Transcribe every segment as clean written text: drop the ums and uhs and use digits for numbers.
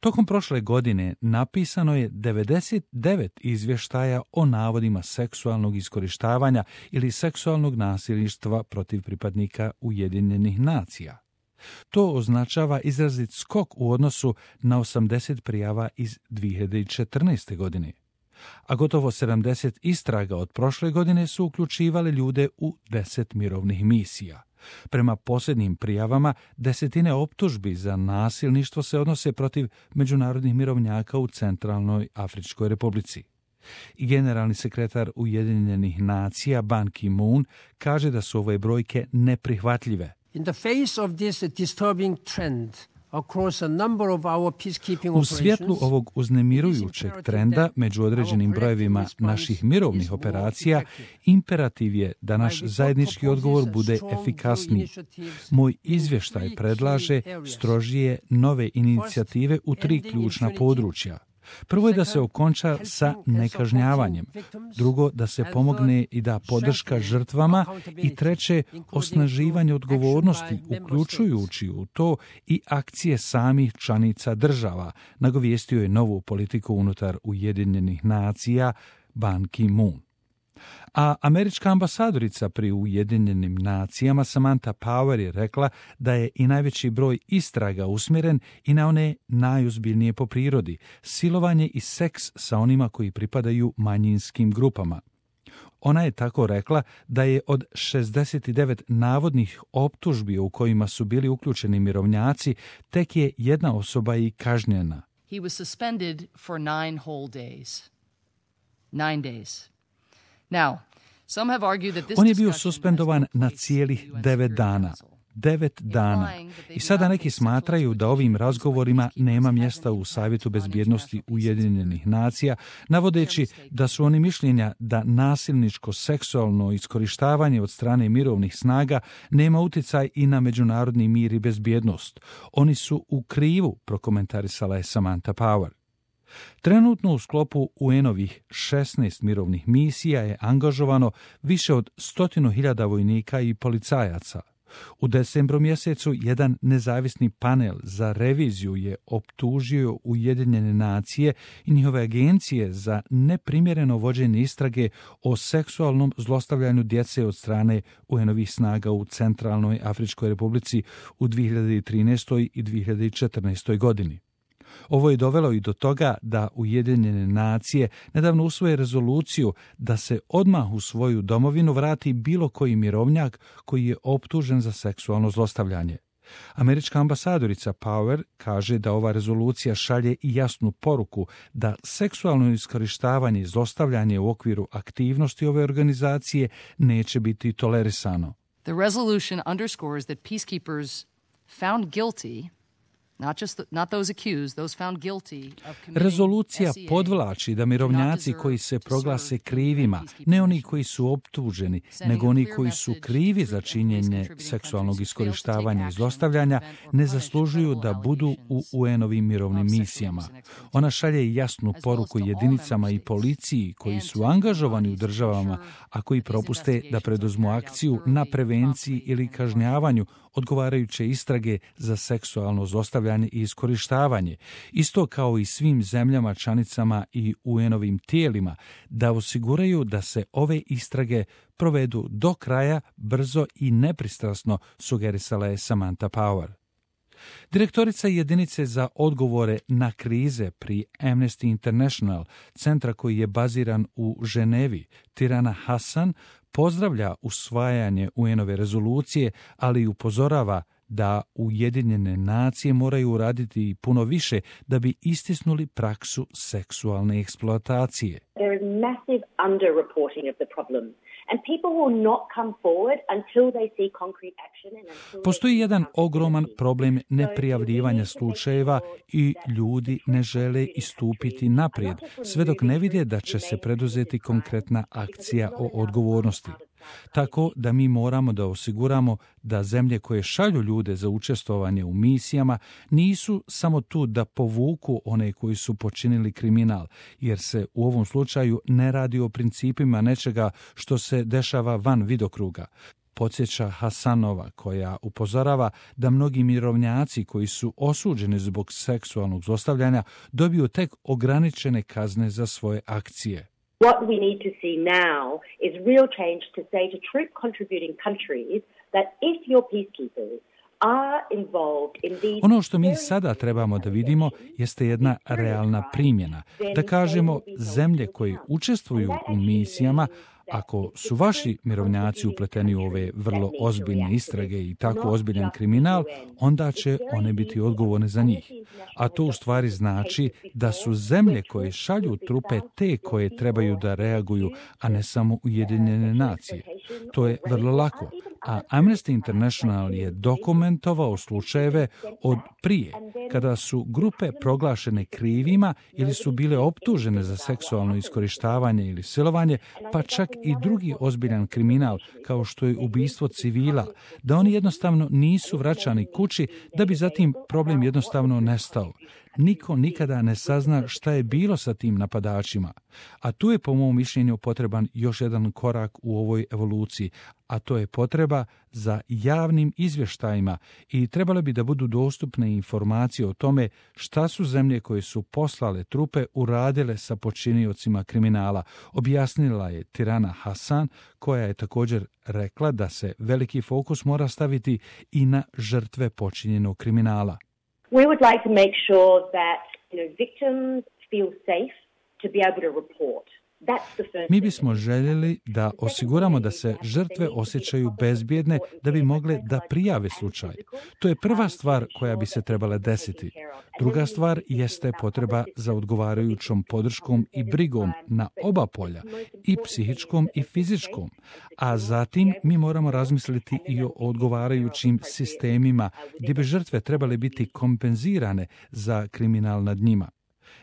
Tokom prošle godine napisano je 99 izvještaja o navodima seksualnog iskorištavanja ili seksualnog nasilništva protiv pripadnika Ujedinjenih nacija. To označava izrazit skok u odnosu na 80 prijava iz 2014. godine. A gotovo 70 istraga od prošle godine su uključivale ljude u 10 mirovnih misija. Prema posljednjim prijavama, desetine optužbi za nasilništvo se odnose protiv međunarodnih mirovnjaka u Centralnoj Afričkoj Republici. I generalni sekretar Ujedinjenih nacija Ban Ki-moon kaže da su ove brojke neprihvatljive. In the face of this disturbing trend, u svjetlu ovog uznemirujućeg trenda među određenim brojevima naših mirovnih operacija, imperativ je da naš zajednički odgovor bude efikasniji. Moj izvještaj predlaže strožije nove inicijative u 3 ključna područja. Prvo je da se okonča sa nekažnjavanjem, drugo da se pomogne i da podrška žrtvama i treće osnaživanje odgovornosti, uključujući u to i akcije samih članica država, nagovijestio je novu politiku unutar Ujedinjenih nacija Ban Ki-moon. A američka ambasadorica pri Ujedinjenim nacijama Samantha Power je rekla da je i najveći broj istraga usmjeren i na one najozbiljnije po prirodi, silovanje i seks sa onima koji pripadaju manjinskim grupama. Ona je tako rekla da je od 69 navodnih optužbi u kojima su bili uključeni mirovnjaci, tek je jedna osoba i kažnjena. He was suspended for 9 whole days. 9 days. Now, some have argued that this On je bio suspendovan na cijelih 9 dana. 9 dana. I sada neki smatraju da ovim razgovorima nema mjesta u Savjetu bezbjednosti Ujedinjenih nacija, navodeći da su oni mišljenja da nasilničko seksualno iskorištavanje od strane mirovnih snaga nema utjecaj i na međunarodni mir i bezbjednost. Oni su u krivu, prokomentarisala je Samantha Power. Trenutno u sklopu UN-ovih 16 mirovnih misija je angažovano više od 100.000 vojnika i policajaca. U decembru mjesecu jedan nezavisni panel za reviziju je optužio Ujedinjene nacije i njihove agencije za neprimjereno vođenje istrage o seksualnom zlostavljanju djece od strane UN-ovih snaga u Centralnoj Afričkoj Republici u 2013. i 2014. godini. Ovo je dovelo i do toga da Ujedinjene nacije nedavno usvoje rezoluciju da se odmah u svoju domovinu vrati bilo koji mirovnjak koji je optužen za seksualno zlostavljanje. Američka ambasadorica Power kaže da ova rezolucija šalje i jasnu poruku da seksualno iskorištavanje i zlostavljanje u okviru aktivnosti ove organizacije neće biti tolerisano. The resolution underscores that peacekeepers found guilty Rezolucija podvlači da mirovnjaci koji se proglase krivima, ne oni koji su optuženi, nego oni koji su krivi za činjenje seksualnog iskorištavanja i zlostavljanja, ne zaslužuju da budu u UN-ovim mirovnim misijama. Ona šalje jasnu poruku jedinicama i policiji koji su angažovani u državama, a koji propuste da preduzmu akciju na prevenciji ili kažnjavanju odgovarajuće istrage za seksualno zlostavljanje i iskorištavanje, isto kao i svim zemljama, članicama i UN-ovim tijelima, da osiguraju da se ove istrage provedu do kraja, brzo i nepristrasno, sugerisala je Samantha Power. Direktorica jedinice za odgovore na krize pri Amnesty International, centra koji je baziran u Ženevi, Tirana Hasan, pozdravlja usvajanje UN-ove rezolucije, ali i upozorava da Ujedinjene nacije moraju uraditi puno više da bi istisnuli praksu seksualne eksploatacije. There is massive underreporting of the problem. And people will not come forward until they see concrete action and until Postoji jedan ogroman problem neprijavljivanja slučajeva i ljudi ne žele istupiti naprijed, sve dok ne vide da će se preduzeti konkretna akcija o odgovornosti. Tako da mi moramo da osiguramo da zemlje koje šalju ljude za učestvovanje u misijama nisu samo tu da povuku one koji su počinili kriminal, jer se u ovom slučaju ne radi o principima nečega što se dešava van vidokruga. podsjeća Hasanova, koja upozorava da mnogi mirovnjaci koji su osuđeni zbog seksualnog zlostavljanja dobiju tek ograničene kazne za svoje akcije. What we need to see now is real change to say to troop contributing countries that if your peacekeepers are involved in these... Ono što mi sada trebamo da vidimo jeste jedna realna primjena. Da kažemo, zemlje koje učestvuju u misijama, ako su vaši mirovnjaci upleteni u ove vrlo ozbiljne istrage i tako ozbiljan kriminal, onda će one biti odgovorne za njih. A to u stvari znači da su zemlje koje šalju trupe te koje trebaju da reaguju, a ne samo Ujedinjene nacije. To je vrlo lako. A Amnesty International je dokumentovao slučajeve od prije, kada su grupe proglašene krivima ili su bile optužene za seksualno iskorištavanje ili silovanje, pa čak i drugi ozbiljan kriminal, kao što je ubistvo civila, da oni jednostavno nisu vraćani kući, da bi zatim problem jednostavno nestao. Niko nikada ne sazna šta je bilo sa tim napadačima. A tu je po mom mišljenju potreban još jedan korak u ovoj evoluciji, a to je potreba za javnim izvještajima i trebalo bi da budu dostupne informacije o tome šta su zemlje koje su poslale trupe uradile sa počiniocima kriminala, objasnila je Tirana Hasan, koja je također rekla da se veliki fokus mora staviti i na žrtve počinjenog kriminala. We would like to make sure that victims feel safe to be able to report. Mi bismo željeli da osiguramo da se žrtve osjećaju bezbjedne da bi mogle da prijave slučaj. To je prva stvar koja bi se trebala desiti. Druga stvar jeste potreba za odgovarajućom podrškom i brigom na oba polja, i psihičkom i fizičkom. A zatim mi moramo razmisliti i o odgovarajućim sistemima gdje bi žrtve trebale biti kompenzirane za kriminal nad njima.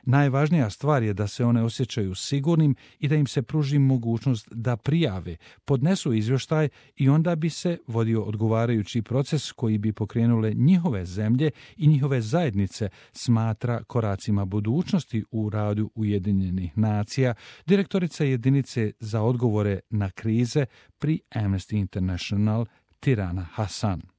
Najvažnija stvar je da se one osjećaju sigurnim i da im se pruži mogućnost da prijave, podnesu izvještaj i onda bi se vodio odgovarajući proces koji bi pokrenule njihove zemlje i njihove zajednice, smatra koracima budućnosti u radu Ujedinjenih nacija, direktorica jedinice za odgovore na krize pri Amnesty International Tirana Hasan.